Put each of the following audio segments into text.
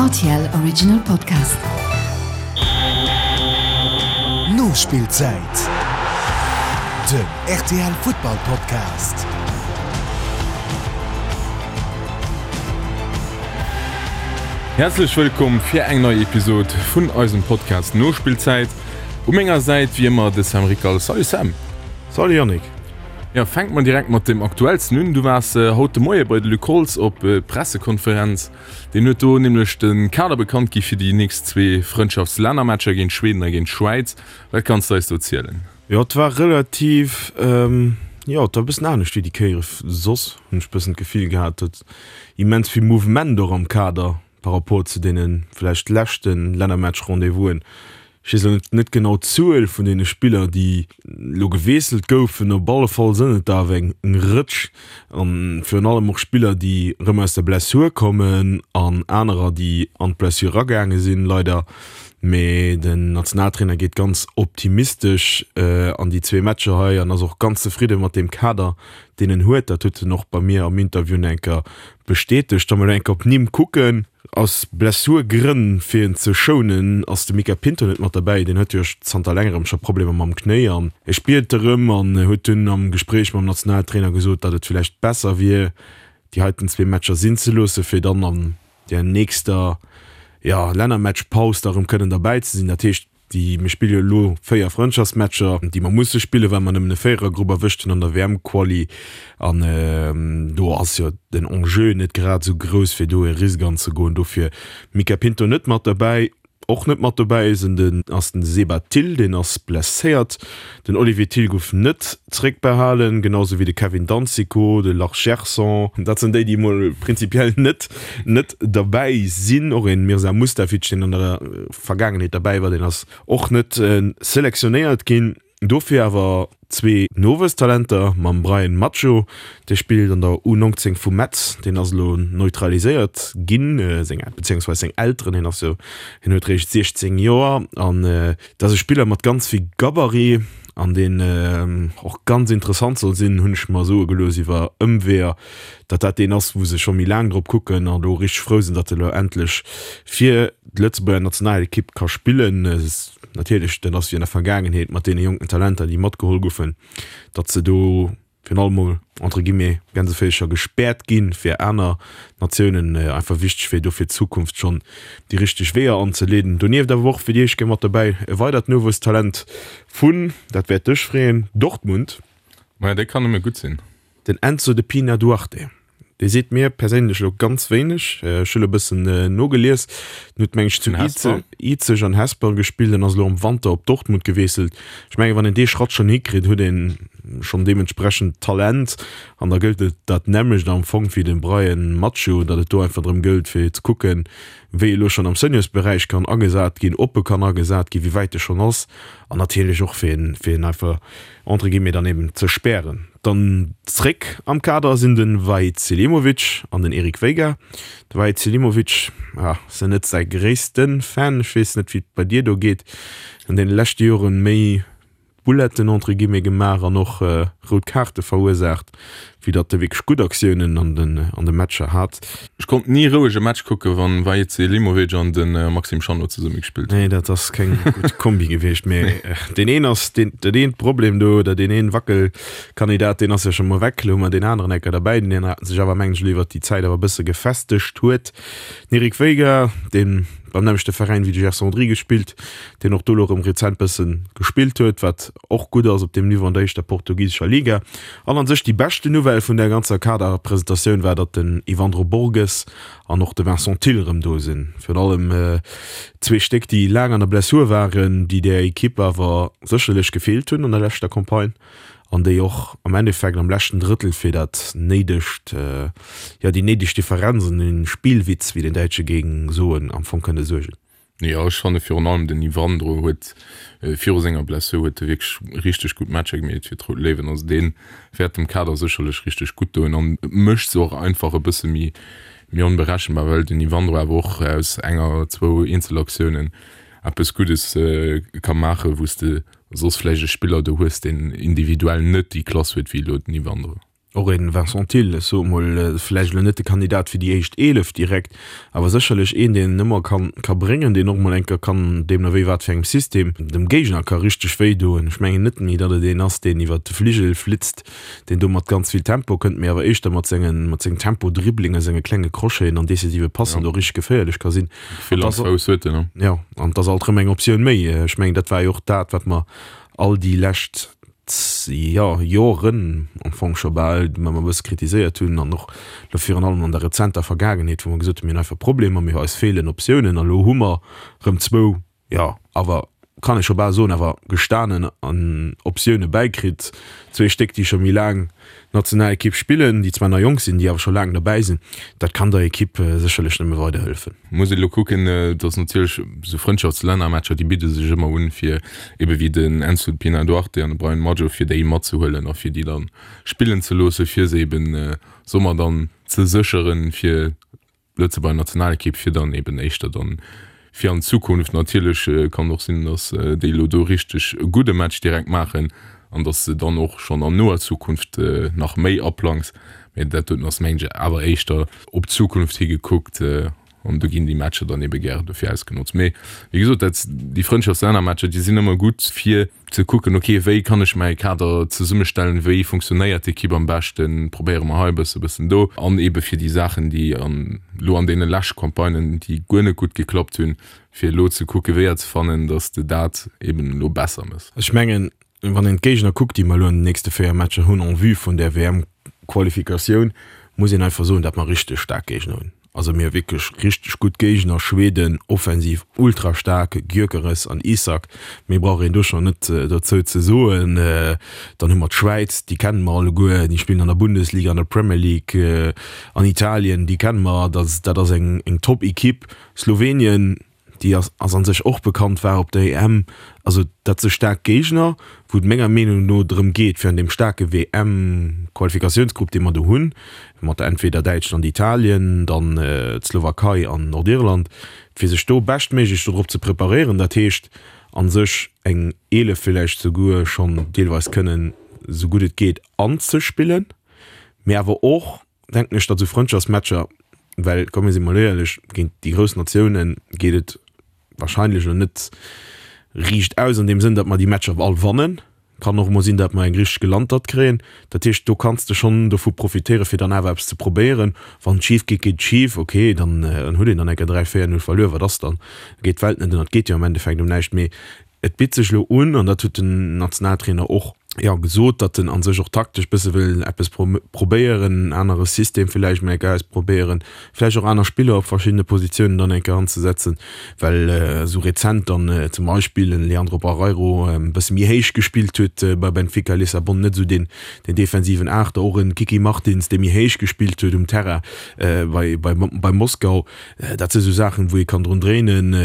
RTL Original Podcast. Nospillzäit, den rtl Futtball Podcast. Häerzlech wëllkomm fir eng nei Episode vun eisem Podcast Nospillzäit. U menger Säit wéi ëmmer de Sam Rickal. Salut Sam! Salut Yannick! Jo, fänke mer direkt mat dem aktuellsten un. Du waars haut de Moie bei de Luc Holtz op Pressekonferenz. Deen huet do nämlech de Kader bekannt gi fir déi nächst zwee Frëndschaftslännermatcher géint Schweden a géint d'Schwäiz. Wat kanns de eis do zielen? Jo, et war relativ, jo, et war e bëssen anescht wéi déi Kéiere soss, hunn ech e bëssen d'Gefill gehat. Et immens vill Mouvement och am Kader par rapport zu deene vläicht leschte Lännermatch-Rendez-vousen. Ech weess elo net genau d'Zuel vun deene Spiller, déi elo gewiesselt goufen. Op alle Fall sënn et der awer eng Rëtsch. A virun allem och Spiller, déi erëm aus der Blessur kommen an anerer, déi an d'Blessur eragaange sinn, leider. Mee den Nationaltrainer geet ganz optimistesch an déi zwee Matcher hei an ass och ganz zefridde mat deem Kader, deen en huet. Dat huet en och bei mir am Interview nach eng Kéier bestätegt. Wa mer elo eng Kéier op d'Nimm kucken. Aus Blessurgrënn, fir en ze schounen, ass de Mica Pinto net mat derbäi. Deen huet jo zanter längerem scho Problemer mam Knéi an e spiert erëm an huet dunn am Gespréich mam Nationaltrainer gesot, datt et villäicht besser wier, déi heiten zwee Matcher sinn ze loossen, fir dann an der nächster, jo, Lännermatchpaus da erëm kënnen derbäi ze sinn. Dat heescht, Déi, mir spille jo elo 4 Frëndschaftsmatcher, déi mer musse spillen, well mer nëmmen e Véierergrupp erwëscht hunn an der WM-Quali. An do ass jo den Enjeu net grad esou grouss, fir do e Risk anzegoen. Dofir Mica Pinto net mat derbäi. Och net mat dobäi sinn den ass den Seba Thill, deen ass blesséiert. Den Olivier Thill gouf net zréckbehalen, genau sou wéi de Kevin Danzico, de Lars Gerson. Dat sinn déi, déi emol prinzipiell net net derbäi sinn. Och een Mirza Mustafic, deen an der Vergaangenheet derbäi war, deen ass och net selektionéiert ginn. Dofir awer zwee Nowuesstalenter mam Bryan Macho, dee spillt an der U19 vu Metz, deen ass elo neutraliséiert ginn, seng, beziéungsweis seng Elteren, hien ass jo, hien huet réischt 16 Joer an dat ass e Spiller mat ganz vill Gabarit an deen och ganz interessant soll sinn, hunn ech mer soe gelooss iwwer Ëmweeër, datt dat deen ass, wou se scho méi laang drop kucken an elo richteg frou sinn, datt e elo endlech fir d'Lëtzebuerger Nationalekipp ka spillen. Natierlech, dat ass wéi an der Vergaangenheet mat deene jonken Talenter, déi matgeholl goufen, datt se do virun allem mol entre guillemets Gänseféischer gespäert ginn, fir aner Natiounen einfach wichteg wier, do fir d'Zukunft schonn déi richteg Weeër anzeleeden. Donieft awer och fir déi éischt Kéier mat dobäi e weidert Nowuesstalent vun, dat wäert dech freeën, Dortmund. Maja, dee kann nëmme gutt sinn. Den Enzo de Pina Duarte, dee seet mir perséinlech elo ganz wéineg. Ech hu lo e bëssen nogelies. Den huet, meng ech, zu Izeg an Hesper gespillt an ass elo am Wanter op Dortmund gewiesselt. Ech mengen, wann een dee Schratt schonn hikritt, huet ee schonn deementsprechend Talent. An da gëllt et dat nämmlecht am Fong wéi dem Bryan Macho, datt et do einfach drëm gëllt, fir ze kucken, wéi e lo schonn am Seniorsberäich kann agesat ginn, ob e kann agesat ginn, wéi wäit e schonn ass an natierlech och fir en, fir en einfach entre guillemets dann eben ze spären. Dann zréck am Kader sinn de Vahid Selimovic an den Eric Veiga. De Vahid Selimovic, ah, sinn net säi gréisste Fan, ech weess net wéi et bei dir do geet, an deene leschte Joren méi Bouletten entre guillemets gemaach an och rout Kaarte verursaacht, wéi datt e wierklech gutt Aktiounen an den an de Matcher hat. Ech konnt ni roueg e Match kucken, wann Vahid Selimovic an de Maxime Chanot zesumme gespillt hunn. Nee, dat ass keng gutt Kombi gewiescht, mee deen een ass deen, dat eent Problem do, oder deen een Wackelkandidat, deen ass jo scho mol weg. Elo hu mer deen aneren Ecker derbäi, deen sech awer, mengen ech, elo iwwert déi Zäit awer e bësse gefestegt huet. Den Eric Veiga, deen beim nämmlechte Veräin wéi de Gerson Rodrigues spillt, deen och do elo erëm rezent bëssen gespillt huet, wat och gutt ass op deem Niveau an der éischter portugisescher Liga. An an sech déi beschten Nouvelle vun der ganzer Kaderpresentatioun war, datt den Yvandro Borges an och de Vincent Thill erëm do sinn. Virun allem zwee Stéck, déi laang an der Blessur waren, déi der Ekipp awer sécherlech gefeelt hunn an der leschter Campagne an déi och am Endeffekt am leschten Drëttel fir dat néidegt, jo déi néideg Differenz an den Spielwitz, wéi den Däitsche géing soen, am Fong kënne suergen. Jo, ech fanne virun allem den Ivandro huet viru senger Blessur huet e wierklech richteg gutt Matcher gemeet fir d'Rout Léiwen. Also dee wäert dem Kader sécherlech richteg gutt doen an et mécht se och einfach e bësse méi méi onberechenbar, well den Ivandro awer och aus enger, zwou Eenzelaktiounen eppes Guddes ka maachen, wou s de soss vläicht e Spiller do hues, deen individuell net déi Klass huet wéi elo den Ivandro. Och een Vincent Thill, ech soe mol, vläicht elo net de Kandidat fir déi éischt 11 direkt, awer sécherlech een, deen en ëmmer kann ka bréngen, deen och mol eng Kéier kann, deemno wéi wat fir engem System, dem Géigner ka richteg wéi doen. Ech mengen net méi, datt et een ass, deen iwwert de Fligel flitzt, deen do mat ganz vill Tempo kënnt, mee awer éischter mat sengen, mat sengem Tempo-Dribbling a senge klenge Crocheten an decisive Passen do richteg geféierlech ka sinn. Vill am Fouss huet en, ne? Jo, an et ass alt erëm eng Optioun méi. Ech mengen, dat war jo och dat, wat mer all déi lescht jo, Joren am Fong scho bal, wou mer e bësse kritiséiert hunn an och elo virun allem an der rezenter Vergaangenheet, wou mer gesot hunn, mir hunn einfach Problemer, mir, eis feelen Optiounen an elo hu mer erëm zwou, jo, awer kann ee scho bal soen, awer gestanen Optioune bäikritt, zwee Stéck, déi scho méi laang Nationalekipp spillen, déi zwar nach jonk sinn, déi awer scho laang derbäi sinn, dat kann der Ekipp sécherlech nëmme weiderhëllefen. Muss ee lo kucken, et ass natierlech esou Frëndschaftslännermatcher, déi bidde sech ëmmer un, fir ebe wéi den Enzo Pina Duarte an de Brian Madjo, fir déi matzehuelen a fir déi dann spillen ze loosse, fir se eben soe mer dann ze sécheren, fir Lëtzebuerger Nationalekipp, fir dann eben éischter dann fir an d'Zukunft. Natierlech kann och sinn, datt déi elo do richteg e gudde Match direkt maachen an datt se dann och schonn an noer Zukunft nach méi aplangs. Mee dat doten ass mengen ech awer éischter op d'Zukunft hi gekuckt an do ginn déi Matcher dann ebe gäre dofir ausgenotzt. Mee wéi gesot, dat déi Frëndschaftslännermatcher, déi sinn ëmmer gutt fir ze kucken, ok, wéi kann ech mäi Kader zesummestellen, wéi funktionéiert d'Ekipp am beschten, probéiere mer hei e bësse, bëssen do, an eebe fir déi Saachen, déi an elo an deene lescht Campagnen, déi guer net gutt geklappt hunn, fir elo ze kucke Weeër ze fannen, datt s de dat eeben elo besser méchs. Ech mengen, wann een d'Géigner kuckt, déi mer elo an den nächste 4 Matcher hunn en vue vun där WM-Qualifikatioun, muss een einfach soen, datt mer richteg staark Géigner hunn. Also mir hu wierklech richteg gutt Géigner, Schweden offensiv ultra staark, Gyökeres an Isak, méi brauch een do schonn net dozou ze soen. Dann hu mer d'Schwäiz, déi kenne mer alleguer, déi spillen an der Bundesliga, an der Premier League, an Italien, déi kenne mer, dat ass eng Top-Ekipp. Slowenien, déi ass ass an sech och bekannt, war op der EM. Also dat si staark Géigner, wou et menger Meenung no drëm geet, fir an deem staarke WM-Qualifikatiounsgrupp, dee mer do hunn, mat entweder Däitschland, Italien, dann d'Slowakei an Nordirland, fir sech do beschtméiglech dodrop ze preparéieren. Dat heescht a sech eng 11 villäicht souguer schonn deelweis kënnen, esou gutt et geet, anzespillen, mee awer och, denken ech, datt esou Frëndschaftsmatcher, well komm mir si mol éierlech, géint déi grouss Natioune geet et wahrscheinlech elo net riicht aus an deem Sënn, datt mer déi Matcher all wannen. Kann och emol sinn, datt mer eng richteg Gelantert kréien. Dat heescht, do kanns de schonn dovu profitéieren, fir dann awer eppes ze probéieren. Wann et schif geet, geet et schif, okay, dann huet een dann eng Kéier 3, 4, 0 verluer, wat ass dann? Da geet d'Welt net ënner, et geet jo am Endeffekt ëm näischt. Mee Et bitt sech elo un, an dat huet den Nationaltrainer och, jo, gesot, datt en a sech och taktesch bësse wëll eppes probéieren, en anere System villäicht mol eng Kéier ausprobéieren, vläicht och aner Spiller op verschiddene Positiounen dann eng Kéier anzesetzen, well esou rezent dann zum Beispill en Leandro Barreiro e bësse méi héich gespillt huet bei Benfica Lissabon, net esou deen defensiven Aachter, och en Kiki Martins, dee méi héich gespillt huet um Terrain bei bei Moskau. Dat si sou Saachen, wou ee kann drun dréinen,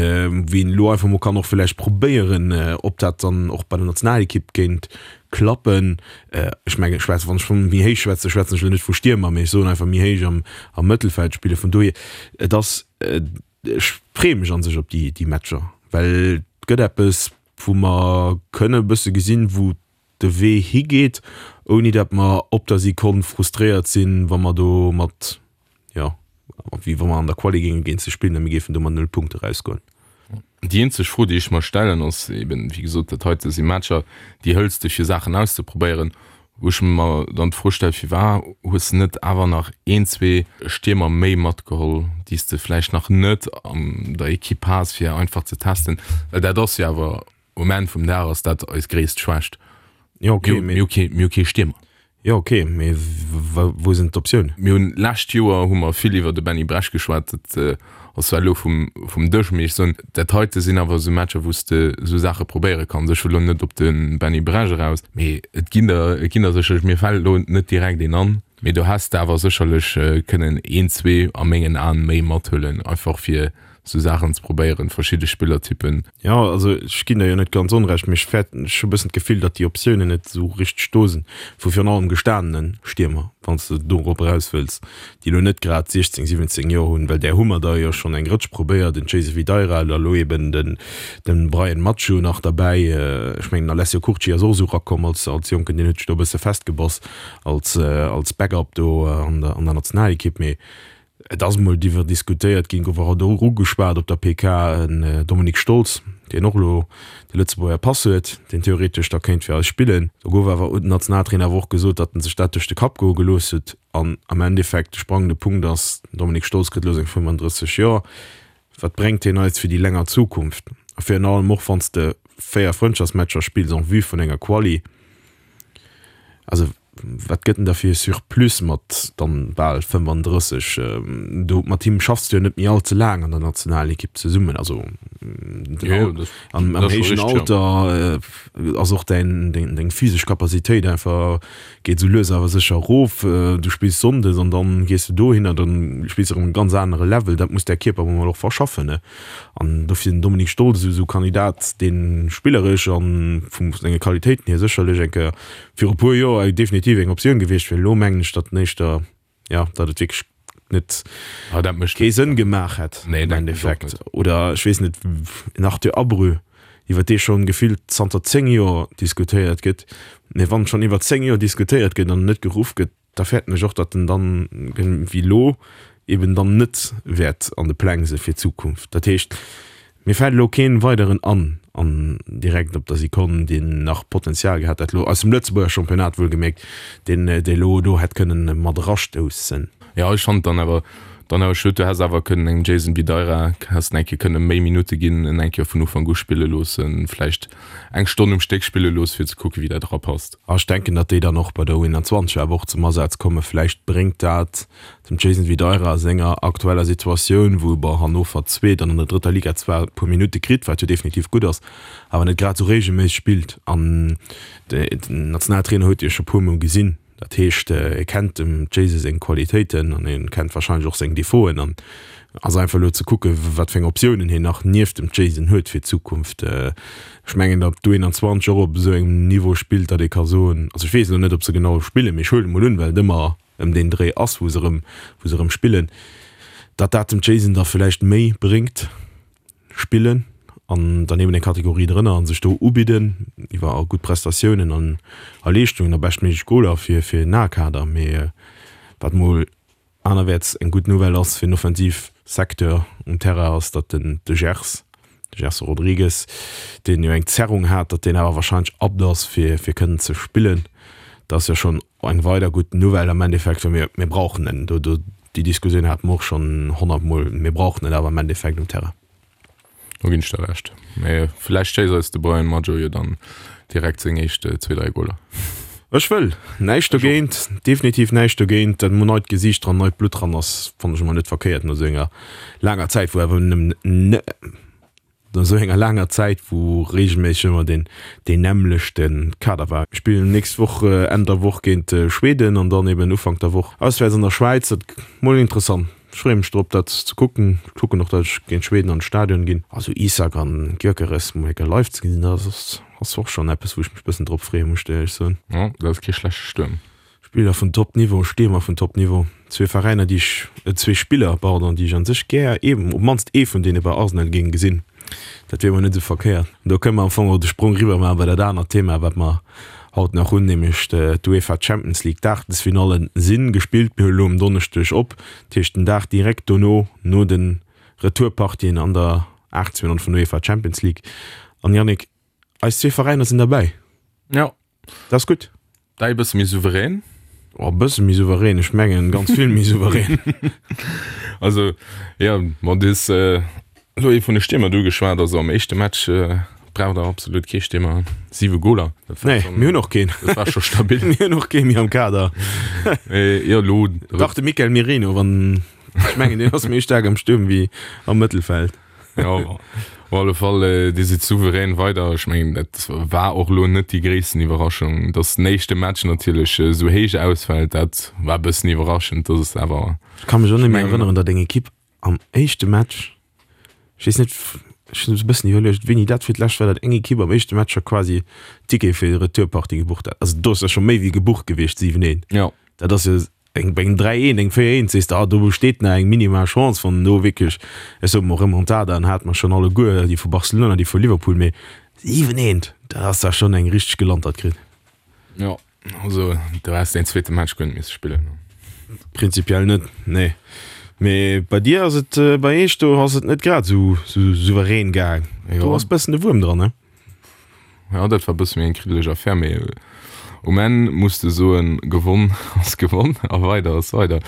wou een elo einfach mol kann och vläicht probéieren, ob dat dann och bei der Nationalekipp géint klappen. Ech mengen, ech schwätzen, wann ech vu méi héich schwätzen, schwätzen ech elo net vu Stiermer, mee ech soen einfach méi héich am, am Mëttelfeld spillen. Vun dohier, et ass, ech freeë mech a sech op déi, déi Matcher, well et gëtt eppes, wou mer kënne e bësse gesinn, wou de Wee higeet, ouni datt mer op der Sekonn frustréiert sinn, wa mer do mat, jo, wéi wa mer an der Quali géinge géint se spillen a mir géifen do mat null Punkte erausgoen. Déi eenzeg Fro, déi ech mer stellen, ass eben, wéi gesot, dat heite si Matcher, déi hëls de fir Saachen auszeprobéieren, wou ech mer dann d'Fro stellen, Firwat hues de net awer nach een, zwee Stiermer méi matgeholl, déi s de vläicht nach net an der Ekipp has, fir einfach ze testen? Well dat ass jo awer Um Enn vum Dag ass dat eis gréisst Schwächt. Jo, okay, mee. Mir hu kee, mir hu kee Stiermer. Jo, okay, mee wou sinn d'Optiounen? Mir hunn, d'lescht Joer hu mer vill iwwer de Benny Bresch geschwat. Dat ass zwar elo vum, vum Dësch, mee ech soen, dat heite sinn awer esou Matcher, wou s de esou Saache probéiere kanns. Ech wëll elo net op de Benny Bresch eraus, mee et ginn der, et ginn der sécherlech, mir fält elo net direkt een an, mee do häss de awer sécherlech kënnen een, zwee a mengen Aen méi mathuelen, einfach fir sou Saachen ze probéieren, verschidde Spillertypen. Jo, also ech ginn der jo net ganz onrecht, mee ech fäerten, ech hu e bëssen d'Gefill, datt déi Optiounen net esou richteg do sinn, vu virun allem gestanene Stiermer. Wann s de dorop eraus wëlls, déi elo net grad 16, 17 Joer hunn, well där hu mer der jo schonn eng Rëtsch probéiert, den Jason Videira, da elo eben den Bryan Macho nach derbäi. Ech mengen, den Alessio Curci ass och esou erakomm als Jonken, deen huet sech do e bësse festgebass als Backup do an der Nationalekipp. Mee Et ass emol diwwer diskutéiert ginn, gouf och ugeschwat op der PK, en Dominik Stolz, deen och elo de Lëtzebuerger Pass huet, deen theoretesch da kéint fir eis spillen. Do gouf awer, huet den Nationaltrainer awer och gesot, datt en sech dat duerch de Kapp goe gelooss huet. An am Endeffekt, de sprangende Punkt ass, den Dominik Stolz kritt elo seng 35 Joer. Wat bréngt hien eis fir déi länger Zukunft? A virun allem och, wann s de 4 Frëndschaftsmatcher spills en vue vun enger Quali. Also wat gëtt en da fir e Surplus mat dann bal 35? Do mat him schaffs du jo net méi all ze laang an der Nationalekipp zesummen. Also am héijen Alter ass och däin deng physesch Capacitéit einfach geet esou lues awer sécher erof. Du spills sonndes an dann gees du dohinner, dann spills de erëm e ganz anere Level. Dat muss däi Kierper emol och verschaffen, ne? An dofir den Dominik Stolz esou e Kandidat, dee spilleresch a vu senge Qualitéiten hier sécherlech eng Kéier viru e puer Joer definitiv eng Optioun gewiescht wier. Elo mengen ech, datt en éischter, jo, datt et wierklech net kee Sënn gemaach hätt am Endeffekt. Oder ech weess net, en Arthur Abreu, iwwer dee schonn gefillt zanter 10 Joer diskutéiert gëtt. Mee wann schonn iwwer 10 Joer diskutéiert gëtt an net geruff gëtt, da fäerten ech och, datt en dann, wéi elo, eben dann net wäert an de Pläng se fir d'Zukunft. Dat heescht, mir fält elo kee weideren an, an direkt op der Sekonn, deen nach Potenzial gehat hätt, elo aus dem Lëtzebuerger Championnat wuelgemierkt, deen elo do hätt kënnen mat erastoussen. Jo, ech fannen et dann awer dann awer schued. Du häss awer kënnen engem Jason Videira häss en eng Kéier kënne méi Minutte ginn, en eng Kéier vun Ufank u spille loossen, vläicht eng Stonn um Stéck spille loosse fir ze kucke wéi dat erapasst. A ech denken, datt déi dann och bei der U21 awer och zum Asaz kommen. Vläicht bréngt dat dem Jason Videira a senger aktueller Situatioun, wou e bei Hannover Zweet an an der drëtter Liga zwar e puer Minutte kritt, wat jo definitiv gutt ass, awer net grad esou reegelméisseg spillt. An den Nationaltrainer huet e jo scho puer Mol gesinn. Dat heescht, e kennt dem Jayse seng Qualitéiten an e kennt warscheinlech och seng Defauten an ass einfach elo ze kucke wat fir eng Optiounen hien nach nieft dem Jayson huet fir d'Zukunft. Ech mengen, datt d'U21 och op esou engem Niveau spillt, datt ee ka soen, also ech weess elo net, ob se genau spillen, mee ech huelen emol un, well et ëmmer ëm deen Dréi ass, wou se erëm, wou se erëm spillen, datt dat dem Jayson da vläicht méi bréngt. Spillen an dann eben eng Kategorie drënner an sech do ubidden iwwer gutt Prestatiounen an a Leeschtungen a beschtméiglech Goler fir fir den A-Kader. Mee wat mol anerwäerts eng gutt Nouvelle ass fir den Offensivsecteur um Terrain ass, datt den de Gers, de Gerson Rodrigues, deen jo eng Zerrung hat, datt deen awer warscheinlech apte ass fir fir kënnen ze spillen. Dat ass jo schonn eng weider gutt Nouvelle am Endeffekt, well mir mir brauchen en do do. Déi Diskussioun hate mer och schonn honnertmol. Mir brauchen et awer am Endeffekt um Terrain. Do ginn ech der Recht. Mee vläicht schéisst eis de Brian Madjo jo dann direkt seng éischt zwee, dräi Goler. Ech wëll näischt dogéint, definitiv näischt dogéint. Dat emol neit Gesiicht dran, neit Blutt dran ass, fannen ech emol net verkéiert no esou enger laanger Zäit, wou awer nëmmen No esou enger laanger Zäit, wou reegelméisseg ëmmer deen deen nämmlechte Kader war. Mir spillen nächst Woch Enn der Woch géint Schweden an dann eben Ufank der Woch auswäerts an der Schwäiz. Dat gëtt mol interessant. Ech freeë mech drop dat ze kucken. Ech kucken och, dat ech géint Schweden an de Stadion ginn. Also Isak an Gyökeres mol eng Kéier live ze gesinn, dat ass ass och schonn eppes wou ech mech bëssen drop freeë muss ech dir éierlech soen. Jo, dat ass kee schlechte Stuerm. Spiller vun Top Niveau, Stiermer vun Top Niveau, zwee Veräiner déi ech, zwee Spiller, pardon, déi ech an sech gär, ee, op mannst ee vun deene bei Arsenal géing gesinn. Dat wier mol net esou verkéiert. An do kënne mer am Fong och de Sprong riwwer maache bei dat anert Thema, wat mer haut nach hunn, nämlech d'UEFA Champions League. D'Aachtelsfinalle si gespillt. Mir huelen elo um Donneschdeg op, dat heescht den Dag direkt dono, no de Retourpartien an der Aachtelsfinall vun der UEFA Champions League. An Yannick, eis zwee Veräiner sinn derbäi. Jo. Dat ass gutt. Däi e bësse méi souverän? Oh, e bësse méi souverän, ech mengen ganz vill méi souverän. Also, jo, bon, du hues elo ee vun de Stiermer do ugeschwat. Also am éischte Match braucht der absolut kee Stiermer, siwe Goler. Dat war Nee, schon, mir hunn och keen. dat war scho stabil. Mir hunn och kee méi am Kader. Mee jo, elo. Dach, de Mikel Merino, wann, ech mengen, deen ass méi staark am Stuerm wéi am Mëttelfeld. Ja, op alle Fall, Dir sidd souverän weider. Ech mengen, dat war och elo net déi gréissten Iwwerraschung. Datt den éischte Match natierlech esou héich ausfält, dat war e bëssen iwwerraschend. Dat ass awer. Ech ka mech och net méi erënneren, datt eng Ekipp am éischte Match, ech weess net, ech hunn e bëssen iwwerluecht, wéini dat fir d'lescht war, datt eng Ekipp am éischte Match scho quasi Ticket fir déi Retourpartie gebucht hat. Also do ass jo scho méi wéi gebucht gewiescht, 7, 1. Jo. Dat ass jo. Eng bei engem 3 1, engem 4 1 sees de, ah do besteet nach eng minimal Chance, wann do wierklech, ech soe mol Remontadaen hate mer schonn alleguer, déi vu Barcelona, déi vu Liverpool, mee 7 1, dat ass da schonn eng richteg gelantert kritt. Jo, also do häss de een zweete Match guer net misse spillen. Prinzipiell net, nee. Mee bei dir ass et, bei eech do ass et net grad esou souverän gaang. Do ass bëssen de Wuerm dran, ne? Jo, dat war bësse méi eng kriddeleg Affär, mee um Enn muss de soen, gewonn ass gewonn a weider ass weider.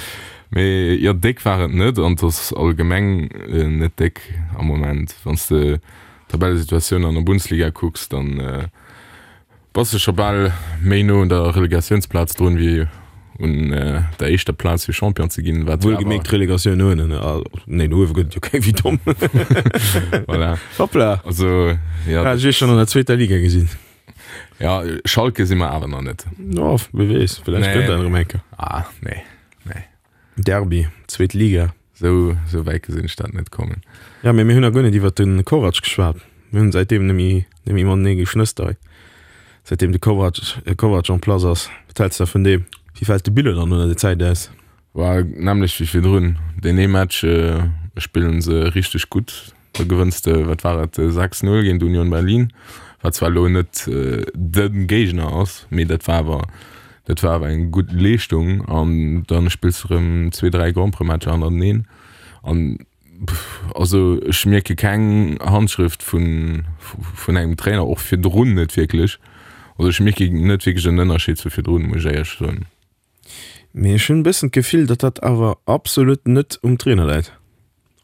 Mee jo, déck war et net an et ass allgemeng net déck am Moment. Wann s de d'Tabellesituatioun an der Bundesliga kucks, dann Bass de scho bal méi no un der Relegatiounsplaz drun wéi un der éischter Plaz fir Champion ze ginn, wat jo awer. Wuelgemierkt Relegatioun no ënnen, nee no uewe gëtt et jo keng, wéi domm. Voilà. Hoppla. Also jo. Hat ech iech schonn an der zweeter Liga gesinn. Ja, Schalke si mer awer nach net. Jo, wie weess, villäicht gëtt dat erëm eng Kéier. Ah, nee, nee. Derby, zweet Liga. Sou, sou wäit gesinn ech dat net kommen. Ja, mee mir hunn nach guer net iwwert de Kovac geschwat. Mir hunn säitdeem net méi, net méi matenee geschnësst hei. Säitdeem de Kovac, Kovac en place ass. Wat häls de da vun deem? Wéi fält de Bilan dann no der Zäit aus? War nämmlecht wéi virdrun. Deen ee Match spillen se richteg gutt. Da gewënns de, wat war et, 6, 0 géint Union Berlin, wat zwar elo net de Géigner ass, mee dat war awer, dat war awer eng gutt Leeschtung. An da spills de erëm zwee, dräi Grand-Prix-Matcher hannerteneen. An also ech mierke keng Handschrëft vun, vun engem Trainer, och virdrun net wierklech. Also ech mierke net wierklech en Ënnerscheed zu virdrun, muss ech éierlech soen. Mee ech hunn e bëssen d'Gefill, datt dat awer absolut net um Trainer läit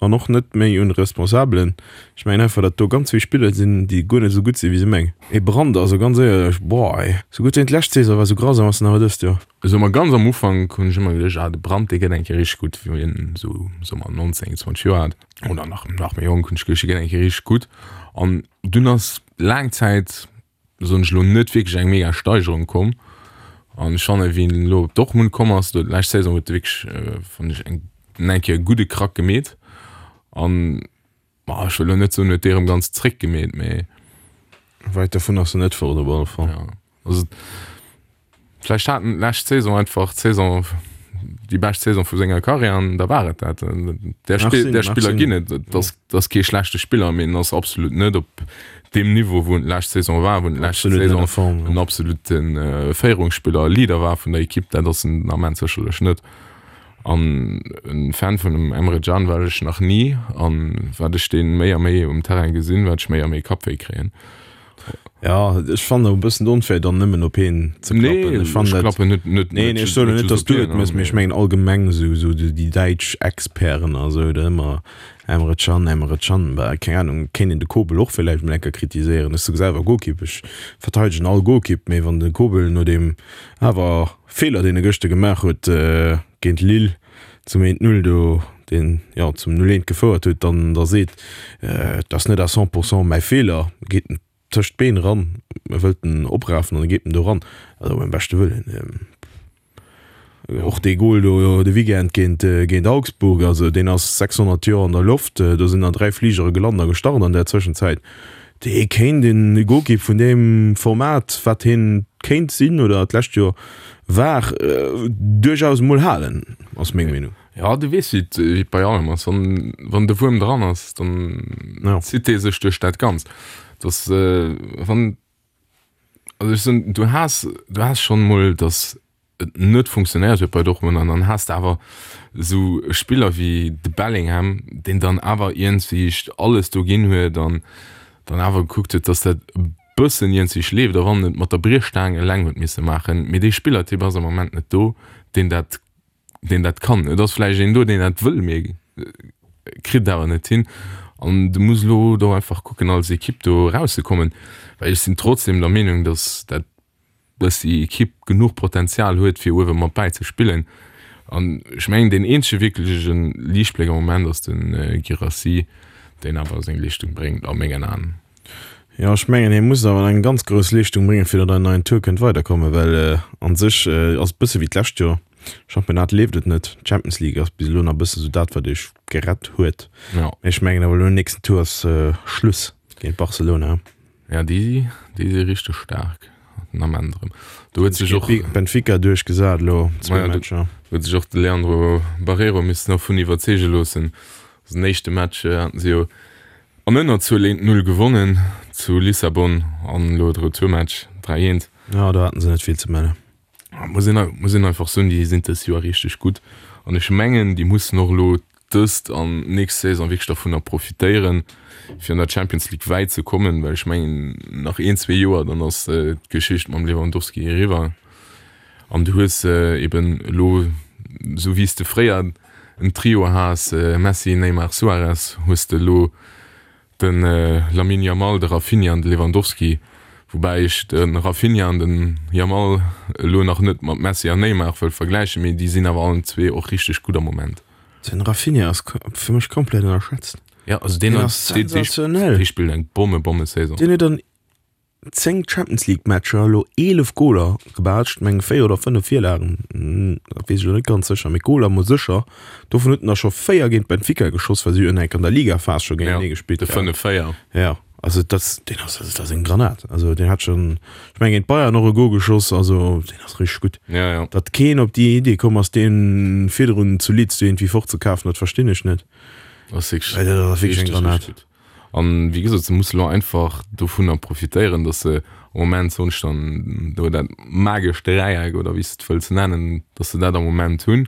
an och net méi un de Responsabelen. Ech mengen einfach, datt do ganz vill Spiller sinn, déi guer net esou gutt sinn, wéi se mengen. Ee Brandt, also ganz éierlech, boah ey, sou gutt wéi en d'lescht Saison war, sou grausam ass en awer dëst Joer. Soe mer ganz am Ufank hunn ech ëmmer geduecht, ah de Brandt dee gëtt eng Kéier richteg gutt, wéi en esou soe mer 19, 20 Joer hat oder nach nach méi jonk hunn ech geduecht, dee gëtt eng Kéier richteg gutt an dunn ass laang Zäit soen ech elo, net wierklech eng mega Steigerung komm. An ech fannen, wéi en elo op Dortmund komm ass, do d'lescht Saison huet e wierklech, fannen ech, eng eng Kéier e gudde Krack gemeet. An, ma ech wëll elo net soen, huet dee erëm ganz zréck gemeet, mee. Wäit dovun ass en net fort op alle Fall. Ja, also Vläicht hat en d'lescht Saison einfach d'Saison, déi bescht Saison vu senger Karriär an da war et dat. Där Spill, där Spiller ginn et. Et ass, et ass kee schlechte Spiller, mee en ass absolut net op deem Niveau, wou en d'lescht Saison war, wou en d'lescht Saison en absolute Féierungsspiller, Leader war vun der Ekipp. Dat ass en den Ament sécherlech net. An e Fan vun dem Emre Can war ech nach ni an wat ech dee méi a méi um Terrain gesinn, wat ech méi a méi Kappwéi kréien. Ja, ech fannen och e bëssen onfair dann nëmmen op heen ze klappen. Nee, ech fannen ech klappen net, net, nee, nee, ech soen net, dass du et mëss, mee ech mengen allgemeng esou, esou déi däitsch Experten a sou, da ëmmer Emre Can, Emre Can, bah, keng Ahnung, kéint een de Kobel och villäicht mol eng Kéier kritiséieren. Ech si selwer Golkipp, ech verteidegen all Golkipp, mee wann de Kobel no deem awer Feeler, deen e gëschter gemaach huet géint Lille, zum 1, 0 do, deen jo zum 0, 1 gefouert huet, dann da seet, et ass net à 100 pourcent mäi Feeler, geet en tëscht d'Been eran, e wëllt en oprafen an e geet en do eran. Also beim beschte Wëllen, och dee Gol do de Weekend géint géint Augsburg, also deen ass 600 Joer an der Loft, do sinn der 3 Fligere gelant a gestart an där Zwëschenzäit. Dee kéint een Golkipp vun deem Format, wat hien kéint sinn oder d'lescht Joer war, duerchaus emol halen, ass meng Meenung. Jo, du weess, wéi et bei allem ass, wann, wann de Wuerm dran ass, dann zitt dee sech duerch dat Ganzt. Dass, wann, also ech soen, du has, du has schonn emol, dass et net funktionéiert huet bei Dortmund an dann has de awer esou Spiller wéi de Bellingham, deen dann awer iergendwéi alles do ginn huet an dann awer gekuckt huet, dass dat e bëssen iergendwéi schleeft, a wann en et mat der Briechstaang eleng huet misse maachen. Mee dee Spillertyp ass am Moment net do, deen dat, deen dat kann. Et ass vläicht een do, deen dat wëll, mee kritt et awer net hin. An du muss elo do einfach kucken als Ekipp do erauszekommen, well ech sinn trotzdem der Meenung, dass dat dass déi Ekipp genuch Potenzial huet, fir uewe mat bäi ze spillen. An ech mengen, deen eenzege wierkleche Liichtbléck am Moment ass de Guirassy, deen awer seng Leeschtung bréngt, a mengen Aen. Jo, ech mengen, hie muss awer eng ganz grouss Leeschtung bréngen, fir datt en neien Tour kënnt weiderkommen, well a sech ass et bësse wéi d'lescht Joer, Championnat leeft et net, d'Champions League ass bis elo nach bësse sou dat, wat iech gerett huet. Mee ech mengen awer elo nächsten Tour ass Schluss géint Barcelona. Ja, déi, déi si richteg staark. Den Ament erëm. Do huet sech och. Benfica duerchgesat elo, zwou Matcher. Do huet sech och de Leandro Barreiro missen dervun iwwerzeege loossen. Also den éischte Match haten se jo an Ënnerzuel 1, 0 gewonnen zu Lissabon an elo de Retourmatch 3, 1. Jo, do haten se net vill ze mellen. Muss een, muss een einfach soen, déi sinn dëst Joer richteg gutt an ech mengen, déi mussen och elo dëst an nächst Saison wierklech dervunner profitéieren, fir an der Champions League wäit ze kommen, well ech mengen, nach een, zwee Joer, dann ass d'Geschicht mam Lewandowski eriwwer an du hues eben elo, esou wéi s de fréier en Trio has, Messi, Neymar, Suarez, hues de elo De Lamine Yamal, de Raphinha an de Lewandowski, woubäi ech de Raphinha an den Yamal elo nach net mat Messi an Neymar wëll vergläichen, mee déi sinn awer allen zwee och richteg gutt am Moment. Den Raphinha ass fir mech komplett ënnerschätzt. Jo, also deen ass sensationell. Dee spillt eng Bomme Bomme Saison. Deen huet an 10 Champions League Matcher elo 11 Goler gebaatscht, meng 4 oder 5 Virlagen, dat weess ech elo net ganz sécher, mee Goler mol sécher. Dovun huet en der scho 4 géint Benfica geschoss, well si hunn enk an der Ligaphas scho géintenee gespillt. De 5, 4. Jo, also dat, deen ass, dat ass eng Granat. Also deen hat schonn, ech meng géint Bayern och e Gol geschoss, also deen ass richteg gutt. Ja, ja. Datt keen op déi Idee komm ass, dee virdrun zu Leeds do iergendwéi fortzekafen, dat verstinn ech net. Ass wierklech eng Granat. An wéi gesot, se musse lo einfach dovunner profitéieren, datt se am Moment, soen ech dann do, dat magescht Dräieck oder wéi s de et wëlls nennen, datt se dat am Moment hunn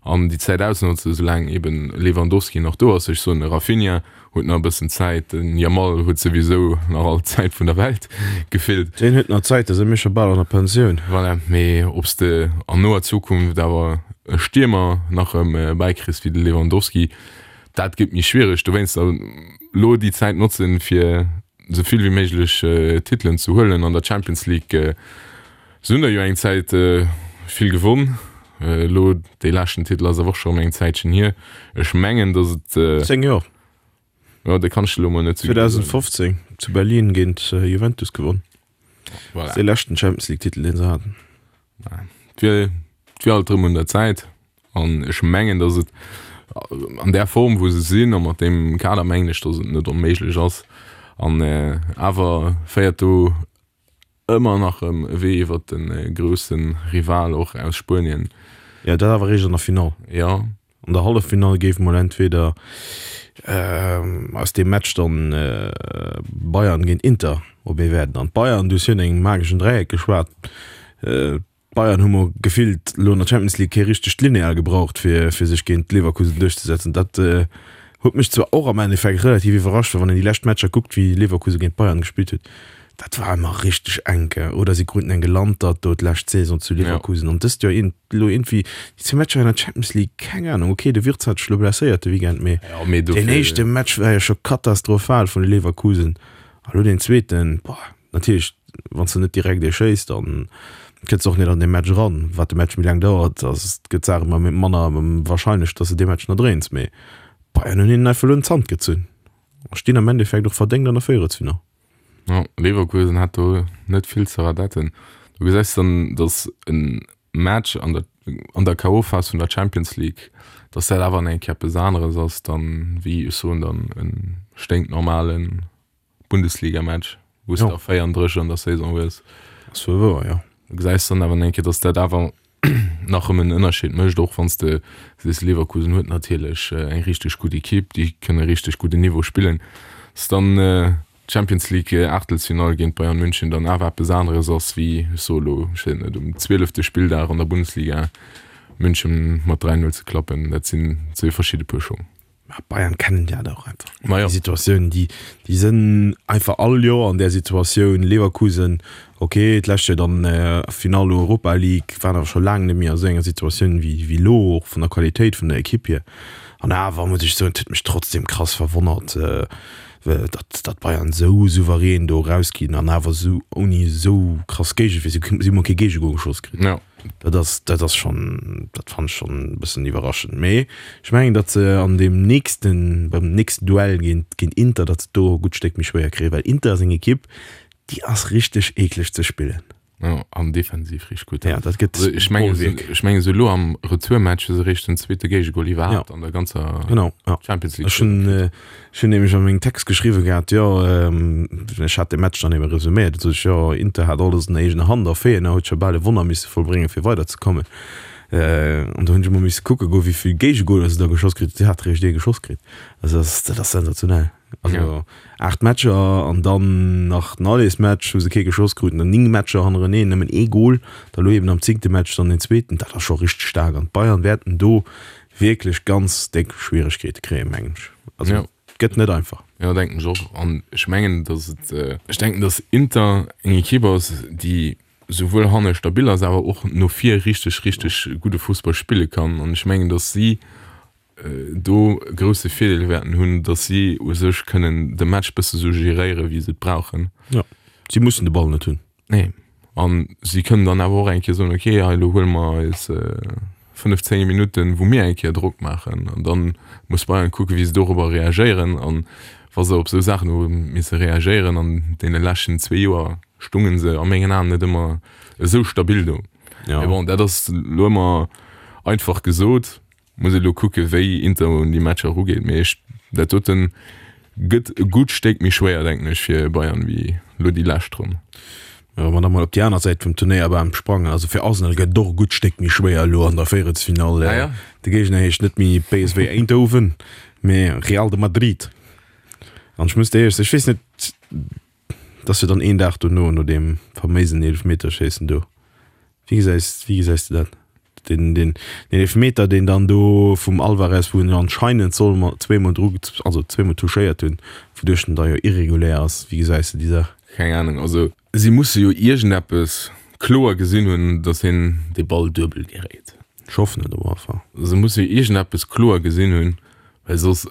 an déi Zäit ausnotzen, soulaang eben Lewandowski nach do ass. Ech soen, de Raphinha huet nach e bëssen Zäit, den Yamal huet souwisou nach all d'Zäit vun der Welt gefillt. Deen huet nach Zäit, da si mir scho bal an der Pensioun. Voilà, mee ob s de an noer Zukunft awer e Stiermer nach erëm bäikriss wéi de Lewandowski, Dat gëtt méi schwiereg. Dowéinst elo déi Zäit notzen, fir esou vill wéi méiglech Titelen ze huelen. An der Champions League, se hunn der jo eng Zäit vill gewonn. Elo dee leschten Titel ass awer och scho erëm eng Zäitchen hier. Ech mengen, datt et. 10 Joer. Jo, dat kann ech elo mol net esou genau soen. 2015 zu Berlin géint Juventus gewonn. Voilà. Dee leschten Champions League Titel, deen se haten. Et wier, et wier alt erëm un der Zäit. An ech mengen, datt et an där Form, wou se sinn a mat deem Kader, mengen ech, datt et net onméiglech ass. An awer féiert do ëmmer nach erëm e Wee iwwert de grousse Rival och aus Spuenien. Jo, dat awer eréischt an der Finall. Jo. An der Halleffinall géif mol entweder aus deem Match dann Bayern géint Inter op ee wäerten. An d'Bayern, du hues virun engem mageschen Dräieck geschwat, D'Bayern hu mer gefillt elo an der Champions League kee richtegt Lineal gebraucht, fir fir sech géint Leverkusen duerchzesetzen. Dat huet mech zwar och am Endeffekt relativ iwwerrascht, well wann een déi lescht Matcher kuckt, wéi Leverkusen géint Bayern gespillt huet, dat war ëmmer richteg enk. Oder si kruten eng gelantert do d'lescht Saison zu Leverkusen an dëst Joer iergend elo iergendwéi déi zwee Matcher an der Champions League, keng Anung. Ok, de Wirtz hat sech elo blesséiert de Weekend, mee deen éischte Match war jo scho katastrophal vun Leverkusen a lo deen zweeten, boah. Natierlech, wann s de net direkt ee schéiss, da kënns de och net an dee Match eran. Wat de Match méi laang dauert, ass gëtt d'Saach ëmmer manner warscheinlech, datt s de dee Match nach dréins. Mee Bayern hunn hinnen einfach elo un d'Hand gezunn a stinn am Endeffekt och verdéngt an der Véierelsfinall. Jo, Leverkusen hat do net vill ze radetten. Do gesäis de dann, datt e Match an der an der KO-Phas vun der Champions League, datt dat awer nach eng Kéier eppes aneres ass dann, wéi ech soen dann, e sténknormalen Bundesliga-Match, wou s de 34 an der Saison hues. Ass wuel wouer, jo. Du gesäis dann awer eng Kéier, dass dat awer nach ëm en Ënnerscheed mécht, och wann s de sees, Leverkusen huet natierlech eng richteg gutt Ekipp, déi kënne richteg gudden Niveau spillen, dass dann d'Champions League Aachtelsfinall géint Bayern München dann awer eppes aneres ass wéi, ech soe lo, ech weess net, um zwielefte Spilldag an der Bundesliga München mat 3, 0 ze klappen. Dat sinn zwee verschidde Puer Schong. Mä Bayern kennen dat och einfach. Ma jo. Déi Situatioun, déi, déi sënn einfach all Joer an där Situatioun. Leverkusen, okay, d'lescht Joer dann Finall Europa League, waren awer scho laang net méi a sou enger Situatioun wéi, wéi elo, och vun der Qualitéit vun der Ekipp hier. An awer muss ech soen, et huet mech trotzdem krass verwonnert, datt, datt Bayern sou souverän do erausginn an awer sou ouni sou krass Géigewier. Si, si hu mol kee Géigegol geschoss kritt. Jo. Dat ass, dat ass schonn, dat fannen ech schonn e bëssen iwwerraschend. Mee ech mengen, datt se an deem nächsten, beim nächsten Duell géint, géint Inter, datt se do e gutt Stéck méi schwéier kréien, well Inter ass eng Ekipp, déi ass richteg eekleg ze spillen. Jo, an defensiv richteg gutt. Ja, dat gëtt Also ech mengen, se, Bollwierk. ech mengen se elo am Retourmatch hu se eréischt den zweete Géigegol iwwerhaapt Ja. an der ganzer Genau, ja. Champions League Ech hunn, Saison kritt. ech hunn nämlech a mengem Text geschriwwe gehat, jo, ech hat de Match dann ebe resuméiert, da sot ech, jo, Inter hat alles an der eegener Hand a Feyenoord huet scho bal e Wonner misse vollbréngen, fir weiderzekommen. An do hunn ech emol misse kucke goen, wéi vill Géigegoler se da geschoss kritt hunn. Si hate réischt ee geschoss kritt. Also dat ass, dat ass sensationell. Also Ja. 8 Matcher an dann nach den Allesmatch, wou se kee geschoss kruten, dann 9 Matcher hannereneen, nëmmen ee Gol, da lo eben am zéngte Match dann den zweeten. Dat ass scho richteg staark an d'Bayern wäerten do wierklech ganz déck Schwieregkeete kréien, mengen ech. Also Ja. et gëtt net einfach. Jo, denken ech och. An ech mengen, datt et, ech denken, datt Inter eng Ekipp ass, déi souwuel hanne stabil ass, awer och no vir richteg, richteg gudde Fussball spille kann. An ech mengen, datt si do e grousse Virdeel wäerten hunn, datt si u sech kënnen de Match bësse sou geréiere wéi se et brauchen. Jo, si mussen de Ball net hunn. Nee, an si kënnen dann awer och eng Kéier soen, okay, hei elo huele mer eis 5, 10 Minutten, wou mir eng Kéier Drock maachen an dann muss Bayern kucken, wéi se dorobber reagéieren. An wa se op esou Saachen hu misse reagéieren an deene leschten zwee Joer, stunge se a mengen Aen net ëmmer esou stabil do. Ja. Mee bon, dat ass elo ëmmer einfach gesot. Muss elo kucke wéi Inter un déi Matcher erugeet, mee ech dat doten gëtt e gutt Stéck méi schwéier denken ech fir Bayern wéi elo déi lescht Ronn. Wa mer da mol op déi aner Säit vum Turnéierbam sprangen, also fir Arsenal gëtt et och e gutt Stéck méi schwéier elo an der Véierelsfinall. Ah ja? De Géigner heescht net méi PSV Eindhoven, mee Real de Madrid. An ech muss dir éierlech soen, ech weess net, et ass jo dann een Dag dono, no deem faméisen Eelefmeterschéissen do. Wéi gesäis, wéi gesäis de dat? Den, den, den Eelefmeter, deen dann do vum Alvarez, wou en jo anscheinend soll ma zweemol dru, also zweemol touchéiert hunn, wouduerch en da jo irregulär ass. Wéi gesäis de déi Saach? Keng Ahnung, also si musse jo iergendeppes kloer gesinn hunn, datt hien dee Ball duebel geréit. Ech hoffen et op alle Fall. Se musse jo iergendeppes kloer gesinn hunn, well soss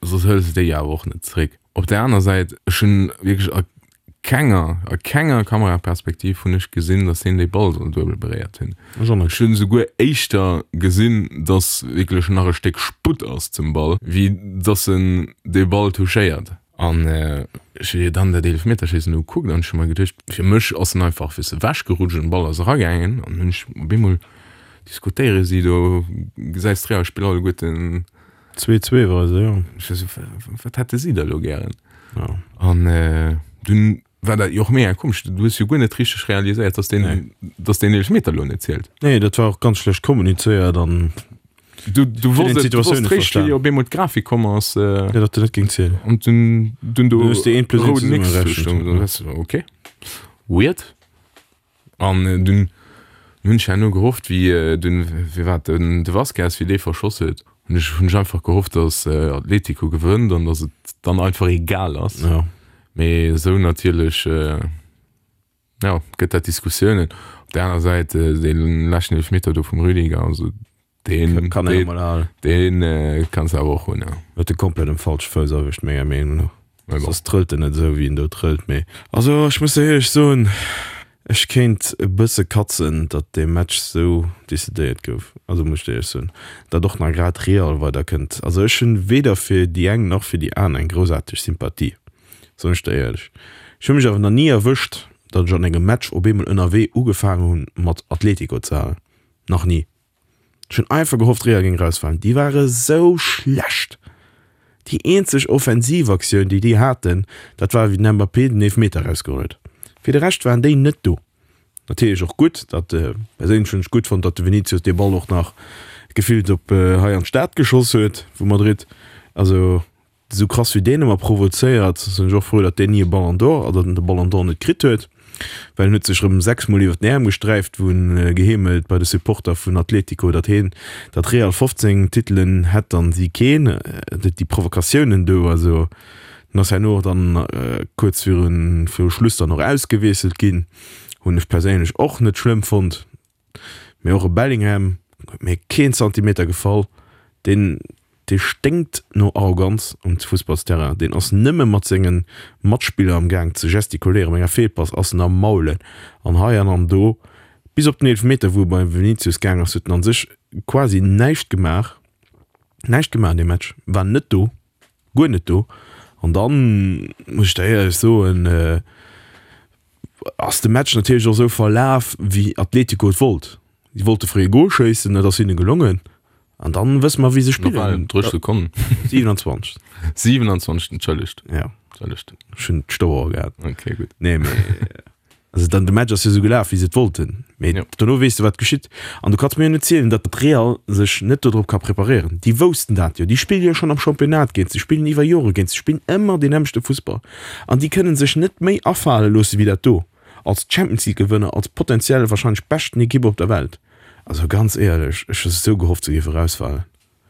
soss hëls de déi awer och net zréck. Op där aner Säit, ech hunn wierklech a kenger, a kenger Kameraperspektiv hunn ech gesinn, datt hien dee Ball soll duebel beréiert hunn. Ech och net. Ech hunn esouguer éischter gesinn, datt wierklech nach e Stéck Sputt ass zum Ball, wéi datt en dee Ball touchéiert. An ech hu jo dann dat Eelefmeterschéissen ugekuckt an ech hu mer geduecht, fir mech ass en einfach wéi se ewechgerutscht an de Ball ass eragaangen. An hunn ech op eemol diskutéiere si do, gesäis d'Real-Spiller alleguerten, 2-2 war se, jo. Ech war sou, wat hätte si da lo gären? Ja. An dunn war dat jo och mega komesch, du hues jo guer net richteg realiséiert, dass deen, dass deen Eelefmeter lo net zielt. Nee, dat war och ganz schlecht kommunizéiert an Du, du Fir wosst den et, du Situatioun wosst net réischt, wéi verstan. op eemol d'Grafik komm ass, ja, datt de net géing zielen. an dunn, dunn do Du hues déi 1 plus 1 rouden X zesummegerechent. stoung, dann wars du, okay, weird. An dunn hunn ech herno gehofft, wéi dunn, wéi war et, den de Vazquez, wéi dee verschoss huet, hunn ech hunn ech einfach gehofft, datt Atletico gewënnt an datt et dann einfach egal ass. Ja. Mee esou natierlech, jo, gëtt dat Diskussiounen. Op där aner Säit, dee leschten Eelefmeter do vum Rüdiger, also deen, Kann een emol halen. deen kanns de awer och hunn, jo. Huet e komplett um falsche Fouss erwëscht, menger Meenung no. Mee bon. Soss trëllt en net esou wéi en do trëllt, mee. Also ech muss der éierlech soen, ech kéint e bësse katzen, datt dee Match esou decidéiert gouf. Also muss ech der éierlech soen, datt och nach grad Real weider kënnt. Also ech hunn weder fir déi eng nach fir déi aner eng groussaarteg Sympathie, soen ech der éierlech. Ech hu mech awer nach ni erwëscht, datt ech an engem Match op eemol ënnerwee ugefaangen hunn mat Atletico ze halen. Nach ni. Ech hunn einfach gehofft Real géing rausfalen. Déi ware sou schlecht. Déi eenzeg Offensivaktioun déi déi haten, dat war wéi den Mbappé den Eelfmeter rausgeholl huet. Fir de Rescht waren déi net do. Natierlech och gutt, datt, perséinlech hunn ech gutt fonnt, datt de Vinicius dee Ball och nach gefillt op hei an d'Stad geschoss huet vu Madrid. Also Esou krass wéi deen ëmmer provozéiert, sinn ech och frou, datt deen ni e Ballon d'Or, also datt en de Ballon d'Or net kritt huet, well en huet sech erëm 6 mol iwwer den Äerm gesträift, wou en geheemelt bei de Supporter vun Atletico, datt heen, datt Real 15 Titelen hätt an si keen. Déi Provokatiounen do, also en ass herno och dann kuerz virun, viru Schluss dann och ausgewiesselt ginn, hunn ech perséinlech och net schlëmm fonnt. Mee och e Bellingham huet mir keen Zantimeter gefall. Deen, dee sténkt no Arroganz um Fussballsterrain. Deen ass nëmme mat senge Matspiller am Gaang ze gestikuléieren. Bei enger Feelpass ass en am Maulen an hei an an do. Bis op den Eelefmeter, wou e beim Vinicius gaang ass, huet en an sech quasi näischt gemaach. Näischt gemaach an deem Match. War net do. Guer net do. An dann muss ech der éierlech soen. ass de Match natierlech och esou verlaf, wéi Atletico et wollt. Si wollte fréi e Gol schéissen, dat ass hinne gelongen. An dann wësse mer, wéi se spillen. Drëch Sekonnen. 27. 27, entschëllegt. Ja. Entschëllegt. Ech hunn d'Stauer gehat. Okay, gutt. Nee, mee also dann de Match ass jo esou gelaf, wéi se et wollten. Mee Ja. dono weess de, wat geschitt. An du kanns mir jo net zielen, datt Real sech net dodrop ka preparéieren. Déi woussten dat jo. Déi spille jo schonn am Championnat géint, se spillen iwwer Jore géint, se spillen ëmmer deen nämmlechte Fussball. An déi kënne sech net méi afale loosse wéi dat do. Als Champions League Gewënner, als potenziell wahrscheinlech beschten Ekipp op der Welt. Also ganz éierlech, ech hu sou gehofft se géif erausfalen.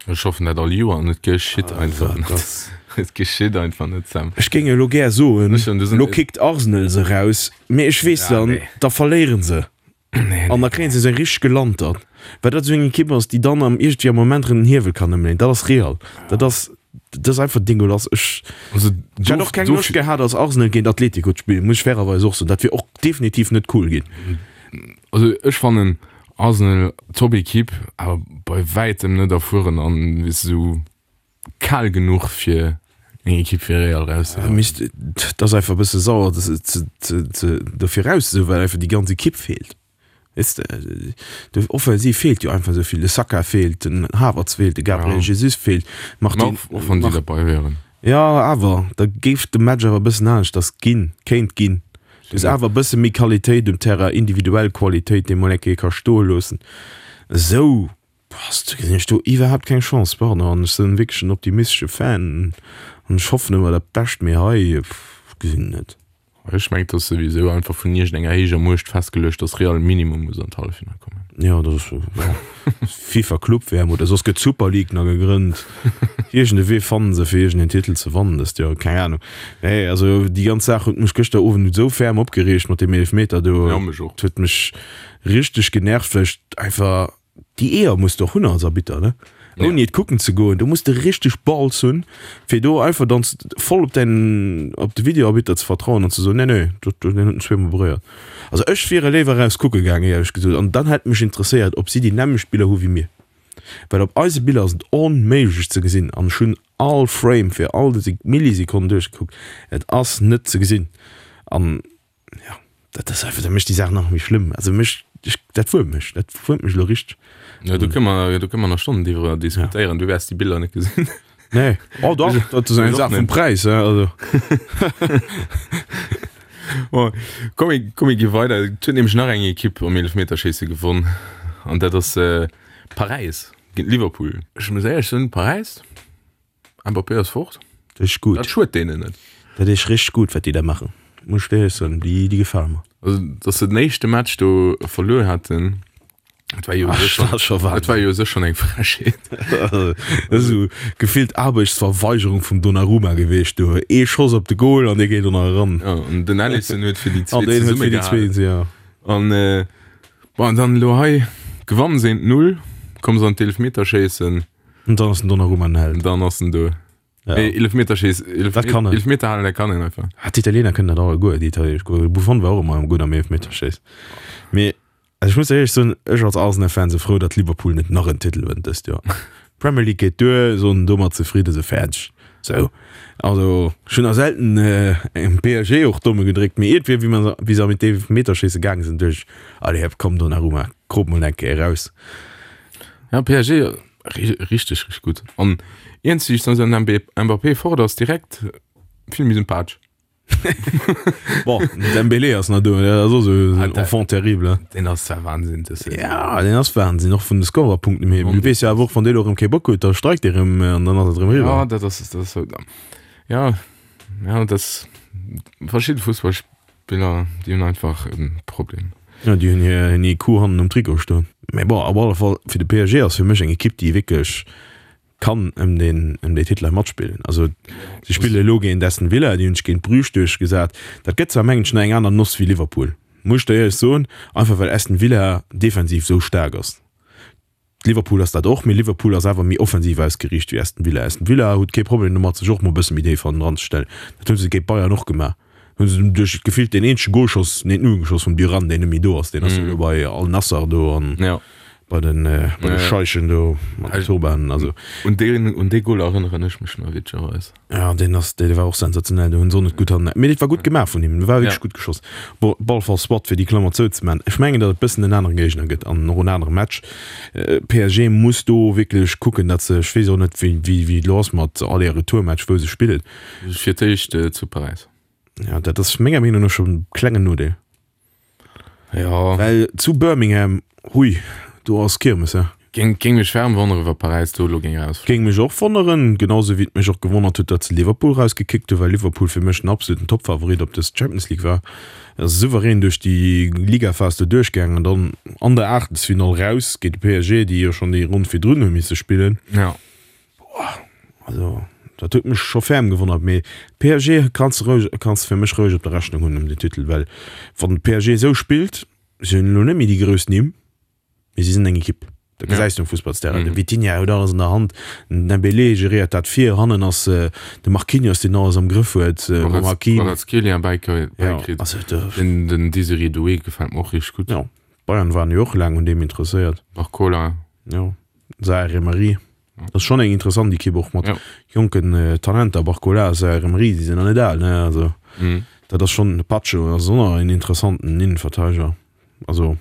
Ech hoffen dat all Joer an et geschitt einfach net. Et geschitt einfach net, Sam. Ech géing elo gär soen, elo kickt Arsenal se eraus, mee ech weess dann, da verléieren se an da kréien se sou eng richteg Gelantert, well dat esou eng Ekipp ass, déi dann am iergendwéi am Moment erëm den Hiewel kann ëmleeën. Dat ass Real, dat ass, dat ass einfach dégueulasse. Ech hätt och keng Loscht gehat als Arsenal géint Atletico ze spillen, muss ech fairerweis och soen. Dat wier och definitiv net cool ginn. Also ech fannen Arsenal top Equipe, awer bei wäitem net erfueren an weess de sou kal genuch fir eng Equipe wéi Real rauszehauen. Misst, et ass einfach e bësse sauer ze ze dofir rauszesoen, well einfach déi ganz Equipe feelt. Weess de, de offensiv feelt jo einfach esou vill. De Saka feelt, den Havertz feelt, de Gabriel Jesus feelt, Martin. Och wann déi derbei wieren. Jo, awer da géif de Match awer e bëssen aneschters ginn, kéint ginn. Du hues awer e bësse méi Qualitéit um Terrain, individuell Qualitéit, déi mol eng Kéier ka stoe loossen. Esou bass du, gesinn ech do iwwerhaapt keng Chance. Pardon, an ech sinn wierklech en optimistesche Fan an ech hoffen ëmmer dat Bescht, mee hei, pff, gesinn et net. Ech mengen, et ass souwisou einfach vun iergendenger héijer Muecht festgeluecht, dass Real minimum muss an d'Halleffinall kommen. Jo, dat ass jo FIFA Club WM oder soss gëtt d'Super League nach gegrënnt. Iergend e Wee fannen se fir iergend een Titel ze wannen dëst Joer, keng Ahnung. Nee, also déi ganz Saach huet mech gëschter Owend esou ferm opgereegt mat deem Eelefmeter do. Ja, mech och. Et huet mech richteg genervt, well ech einfach, déi Eeër muss de och hunn als Arbitter, ne? Ouni et kucken ze goen, do muss de richteg Balls hunn, fir do einfach dann voll op däin, op de Videoarbitter ze vertrauen an ze soen, nee, nee, dat, deen huet en zweemol beréiert. Also ech wier léiwer eraus kucke gaang, éierlech gesot, an dann hätt mech interesséiert, ob si déi nämmlecht Biller hu wéi mir. Well op eise Biller ass et onméiglech ze gesinn an ech hunn all Frame fir all déi Millisekonnen duerchgekuckt, et ass net ze gesinn an jo, dat ass einfach, dat mécht déi Saach nach méi schlëmm. Also mech, ech, dat wuermt mech, dat wuermt mech elo richteg. Jo, do kënne mer, do kënne mer nach Stonnen driwwer diskutéieren, du wäers déi Biller net gesinn. Nee, oh dach, dat ass eng Saach vum Präis, he, also. Bon, komm, komm mir gi weider. Et huet nämlech nach eng Ekipp am Eelefmeterschéisse gewonn an dat ass Paräis géint Liverpool. Ech muss éierlech soen, Paräis, Mbappé ass fort, Dat ass gutt. dat schued deenen net. Dat ass richteg gutt, wat déi da maachen, muss ech éierlech soen. Déi, déi gefale mer. Also, datt se den éischte Match do verluer haten, Et war jo Ach, schon, das schon et war jo sech schon eng Frechheet. Esou gefillt Aarbechtsverweigerung vum Donnarumma gewiescht do. Ee Schoss op de Goal an dee geet och nach eran. Ja, an den Alisson huet fir déi An zwee deen huet fir déi zesummegehalen. zwee, ja. An äh, bon, dann elo hei gewannen se 1-0, komme se an d'Eelfmeterschéissen, An dann ass den Donnarumma en Held. dann ass en do. Ja. Ee Eelefmeterschéiss, Eelef, Dat kann en. Eelefmeter halen, dat kann en einfach. Ah, d'Italiener kënnen dat alleguer, déi italienesch Goaler. Buffon war och ëmmer gutt am Eelefmeterschéiss. Mee Also ech muss éierlech soen, ech als Arsenal-Fan se frou, datt Liverpool net nach en Titel wënnt dëst Joer. Premier League geet duer, soen domat zefridde se fäerdeg. Sou, also ech hunn nach selten engem PSG och d'Domme gedréckt, mee iergendwéi wéi mer wéi se an d'Eelfmeterschéisse gaange sinn, duecht ech, allez hop, komm Donnarumma, krop mol eng Kéier eraus. Ja, PSG richteg richteg gutt an iergendwéi säit den Mbappé fort ass direkt vill méi sympathesch. Bon, den Dembélé ass nach do, dat ass och esou en Enfant terrible. Hein. Deen ass zwar Wahnsinn, dës Saison. Ja, deen ass Wahnsinn, och vun de Scorerpunkten hier. Du weess jo awer och, wann dee elo erëm kee Bock huet, da streikt dee erëm an dann ass et erëm eriwwer. Ja, dat ass, dat ass sou. Ja, ja, dat ass verschidde Fussballspiller, déi hunn einfach e Problem. Ja, déi hunn hir, hir IQ hannen um Trikot stoen. Mee bon, op alle Fall, fir de PSG ass fir mech eng Ekipp, déi wierklech kann ëm deen ëm déi Titele matspillen. Also si spille elo géint Aston Villa, déi hunn sech géint Bruges duerchgesat. Dat gëtt zwar mengen ech nach eng aner Noss wéi Liverpool, muss ech der éierlech soen, einfach well Aston Villa defensiv esou staark ass. Liverpool ass dat och, mee Liverpool ass awer méi offensiv ausgeriicht wéi Aston Villa. Aston Villa huet kee Problem domat sech och mol e bësse méi déif hannendran ze stellen. Dat hu se géint Bayern och gemaach. Hunn se duerch gefillt deen eenzege Golschoss, nee d'Null geschoss vum Duran, deen net méi do ass, deen ass jo elo bei Al Nassr do an Ja. Bei den, bei de Scheichen do mat den Turbanen, also. Un deen, un dee Goal erënneren ech mech nach witzegerweis. Ja, deen ass, dee war och sensationell, do hunn se och net gutt hannen, mee dat war gutt gemaach vun him, war wierklech gutt geschoss. Bon, op alle Fall soit, fir déi Klammer zouzemaachen, ech mengen, datt et bëssen en anere Géigner gëtt an och en anere Match. PSG muss do wierklech kucken, datt se, ech weess och net, wéi, wéi, wéi et elo ass mat Aller-Retour-Match, wou se spillen. Fir d'éischt zu Paräis. Ja, dat ass menger Meenung no schonn e klengen Nodeel. Ja. Well zu Birmingham, hui, do ass Kirmes, he? Géing, géing mech ferm wonneren, wa Paräis do elo géing erausfléien. Géing mech och wonneren, genau sou wéi et mech och gewonnert huet, datt se Liverpool erausgekickt hunn, well Liverpool fir mech den absoluten Topfavorit op dës Champions League war. Ass souverän duerch déi Ligaphas do duerchgaangen an dann an der Aachtelsfinall raus géint de PSG, déi jo schonn déi Ronn virdrun hu misse spillen. Ja. Boah, also dat huet mech scho ferm gewonnert, mee PSG kanns de roueg, kanns de fir mech roueg op der Rechnung hunn ëm den Titel, well wann PSG esou spillt, si hunn elo net méi déi grouss Nimm, mee si sinn eng Ekipp. Dat gesäis du um Fussballsterrain. De Vitinha huet alles an der Hand, den Dembélé geréiert dat vir, hannen ass de Marquinhos, deen alles am Grëff huet, mam Hakimi. Kvaratskhelia bäikritt, den Désiré Doué gefält mer och richteg gutt. Jo, Bayern waren jo och laang un deem interesséiert. Barcola. Jo, Zaïre Emery. Dat ass schonn eng interessant Ekipp och mat jonken Talenter, Barcola, Zaïre Emery, déi sinn nach net al, ne? Also dat ass schonn, Pacho ass och nach en interessanten Innenverteideger. Also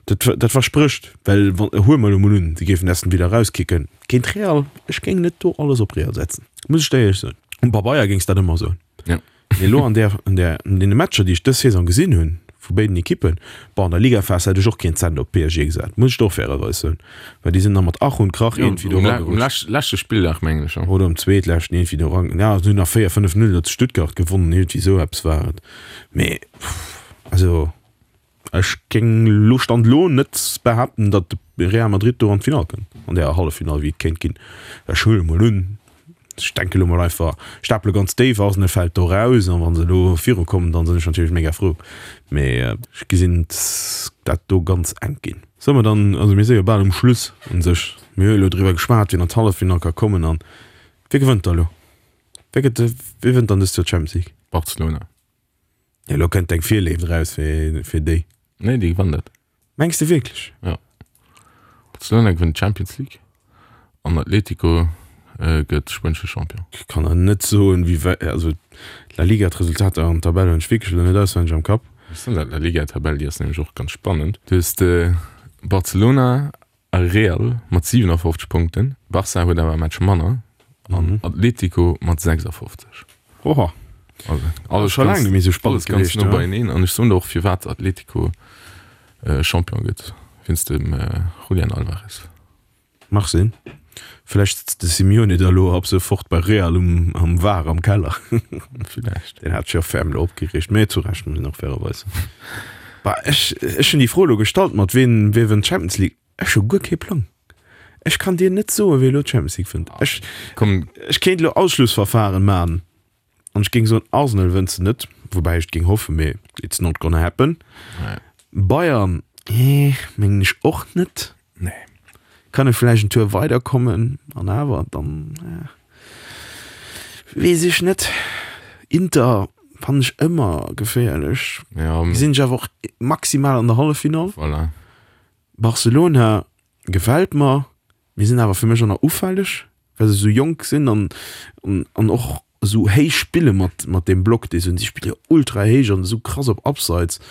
dat dat versprécht, well wann, huele mer elo mol un, se géifen Aston Villa erauskicken géint Real, ech géing net do alles op Real setzen, muss ech der éierlech soen. Um Pabeier géings dat ëmmer soen. Mee elo an där, an där, an deene Matcher, déi ech dës Saison gesinn hunn, vu béiden Ekippen, bon, an der Ligaphas hätt ech och keen Cent op PSG gesat, muss ech der och fairerweis soen, well déi sinn da mat Ach und Krach iergendwéi do eragerutscht. Um leschte Spilldag, mengen ech, jo. Oder um zweetleschten iergendwéi do eran, ja, se hunn nach 4, 5, 0 do zu Stuttgart gewonnen, iergendwéi esou eppes war et. Mee, also. Ech géing elo, Stand elo, net behaapten, datt de Real Madrid do an d'Finall kënnt, an där Halleffinall, wéi et kéint ginn. Ech huele mol un, ech denke elo mol einfach, stapele ganz déif, Arsenal fält do raus an wa se elo virukommen, dann sinn ech natierlech mega frou. Mee ech gesinn dat do ganz enk ginn. Solle mer dann, also mir si jo bal um Schluss u sech, mir hu jo elo driwwer geschwat, wien an d'Halleffinall ka kommen an wie gewënnt da elo? Wie gëtt, wie wënnt dann dëst Joer d'Champions League? Barcelona. Ja, lo kënnt deng Virléift raus fir, fir déi. Nee, déi gewannen dat. Mengs de wierklech? Ja. Barcelona gewënnt d'Champions League an Atletico äh, gëtt spuenesche Champion. Ech kann der net soen, wéi wäit, also d'La Liga, d'Resultater an d'Tabell hunn ech wierklech elo net auswenneg am Kapp. Ech soen dat, d'La Liga-Tabell, déi ass nämlech och ganz spannend. Du hues de Barcelona A Real mat 57 Punkten, Barça huet awer e Match manner an Atletico mat 56. Oha. Also alles scho laang net méi sou spannend alles ganz gewiescht, no beieneen an ech soen der och firwat Atletico Champion gëtt, wéinst dem Julian Alvarez. Mag sinn. Vläicht sëtzt de Simeone da lo ab sofort bei Real um am Var am Keller. Villäicht. Deen hat sech jo ferm lo opgereegt, mee zu Recht muss een och fairerweis soen. Bah, ech, ech hunn déi Fro elo gestallt mat ween, wee wënnt d'Champions League. Ech hu guer kee Plang. Ech kann dir net soen, wee elo d'Champions League wënnt. Ech, Komm. ech kéint elo Ausschlussverfahren man an ech géing soen, Arsenal wënnt se net, woubäi ech et géing hoffen, mee it's not gonna happen. Nee. Bayern, eh, mengen ech och net. Nee. Kann e vläicht en Tour weiderkommen an awer dann weess ech net. Inter fannen ech ëmmer geféierlech. Ja. Gesinn ech awer och maximal an der Halleffinall. Voilà. Barcelona gefält mer, mee sinn awer fir mech och nach ufälleg, well se esou jonk sinn an an och esou héich spille mat mat deem Block dee se hunn. Si spille jo ultra héich an esou krass op Abseits.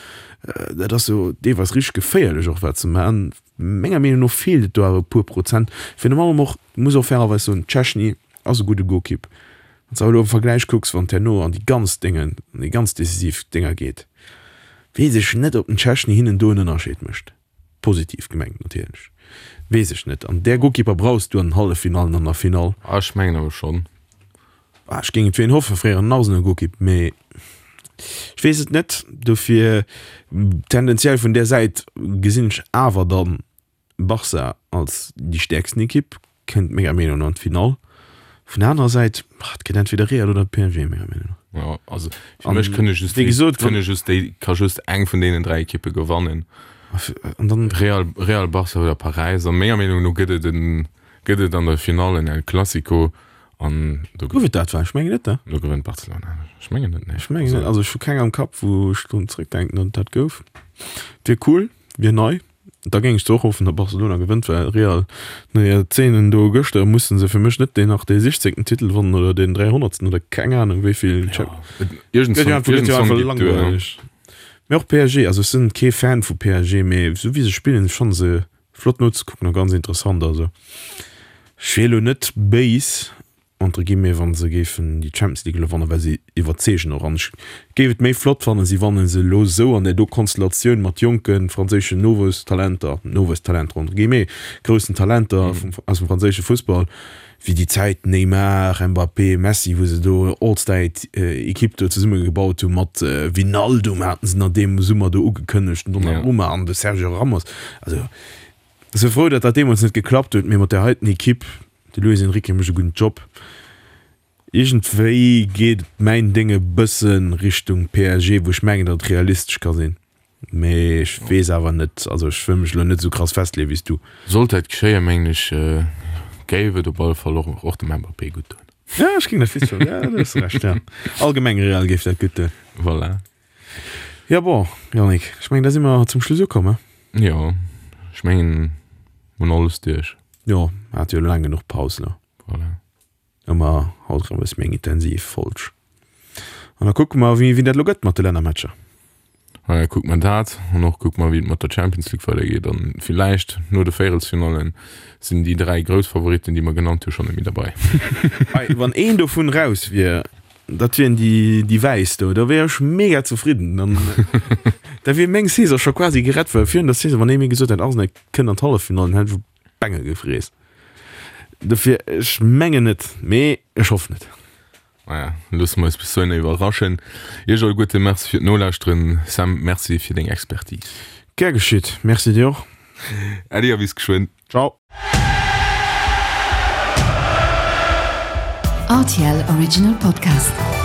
Dat ass jo deelweis richteg geféierlech och wat se maachen. Menger Meenung no feelt et do awer e puer Prozent. Virun allem och, muss och fairerweis soen, Szczesny ass e gudde Goalkeep. Wann s de awer elo am Vergläich kucks, wann et herno an déi ganz Déngen, an déi ganz decisiv Dénger geet, weess ech net, ob den Szczesny hinnen do en Ënnerscheed mécht. Positiv gemengt natierlech. Weess ech net. An där Goalkeeper brauchs du an den Halleffinallen an der Finall. Ah, ech mengen awer schonn. Ah, ech géing et fir en hoffen, fréier en Arsenal-Goalkeep, mee ech weess et net. Dofir tendenziell vun där Säit gesinn ech awer dann Barca als déi stäerksten Ekipp, kënnt menger Meenung no an d'Finall. Vun der anerer Säit, et gëtt entweder Real oder PSG, menger Meenung no. Jo, also fir mech kënne just wéi gesot, kënne just déi, ka just eng vun deenen 3 Ekippe gewannen. An dann Real, Real, Barca oder Paräis. A menger Meenung no gëtt et en, gëtt et an der Finall en El Clasico an do Gouf et dat war? Ech mengen net, ne? Do gewënnt Barcelona. Ech mengen net, nee. Ech mengen net, also ech hu keng am Kapp, wou ech drun zréckdenken, datt et dat gouf. Wier cool, wier nei. Da géing ech zwar och hoffen, datt Barcelona gewënnt, well Real no hir Zeenen do gëschter musse se fir mech net deen nach dee sichzéngten Titel wannen oder deen dräihonnertsten oder keng Anung wéi vill. Ja, iergendswann, iergendswann geet et duer. Mee och PSG, also ech sinn kee Fan vu PSG, mee esou wéi se spillen, ech fanne se flott nozekucken a ganz interessant. Also ech wier elo net béis, entre guillemets, wa se géifen déi Champions League elo wannen, well se iwwerzeegen och. An ech géif et méi flott fannen, si wanne se elo esou an där do Konstellatioun mat jonke franséischen Nowuesstalenter, Nowuesstalenter entre guillemets, groussen Talenter aus dem franséische Fussball, wéi déi Zäit Neymar, Mbappé, Messi, wou se do All-Star-Ekipp do zesummegebaut hu mat Wijnaldum haten se nach deem Summer do ugekënnegt, den Donnarumma an de Sergio Ramos. Also ech si frou, datt dat deemools net geklappt huet, mee mat där heiten Ekipp, de Luis Enrique mécht e gudden Job. Iergendwéi geet mäin Déng e bësse Richtung PSG, wou ech mengen, datt et realistesch ka sinn. Mee ech weess awer net, also ech wëll mech elo net esou krass festleeën wéi s du. Sollt dat geschéien, mengen ech, géif et op alle Fall och och dem Mbappé gutt doen. Ja, ech géing dat fix soen, ja, du hues Recht, ja. Allgemeng Real géif dat gutt doen. Voilà. Ja bon, Yannick, ech mengen da si mer zum Schluss ukomm, he? Jo, ech mengen, mer hunn alles duerch. Jo, mer hate jo laang genuch Paus elo. Voilà. Ëmmer haut erëm e bësse méi eng intensiv Folg. An da kucke mer, wéi dat elo gëtt mat de Lännermatcher. Voilà, kucke mer dat an och kucke mer, wéi et mat der Champions League weidergeet. An villäicht no de Véierelsfinallen sinn déi 3 grouss Favoritten, déi mer genannt hu, schonn net méi derbei. Ei, wann een dovun raus wier, dat wieren déi, déi Wäiss do, da wier ech mega zefridden. Dann, da wier meng Saison scho quasi gerett, well virun der Saison, wann ee mir gesot hätt, Arsenal kënnt an d'Halleffinallen, hätt ech Bengel gefriess. Dofir, ech mengen net, mee ech hoffen et. Maja, loosse mer eis bis dohinner iwwerraschen. Iech alleguerte Merci fir d'Nolauschteren. Sam, Merci fir deng Expertise. Gär geschitt. Merci dir och. Äddi a bis geschwënn. Ciao. RTL Original Podcast.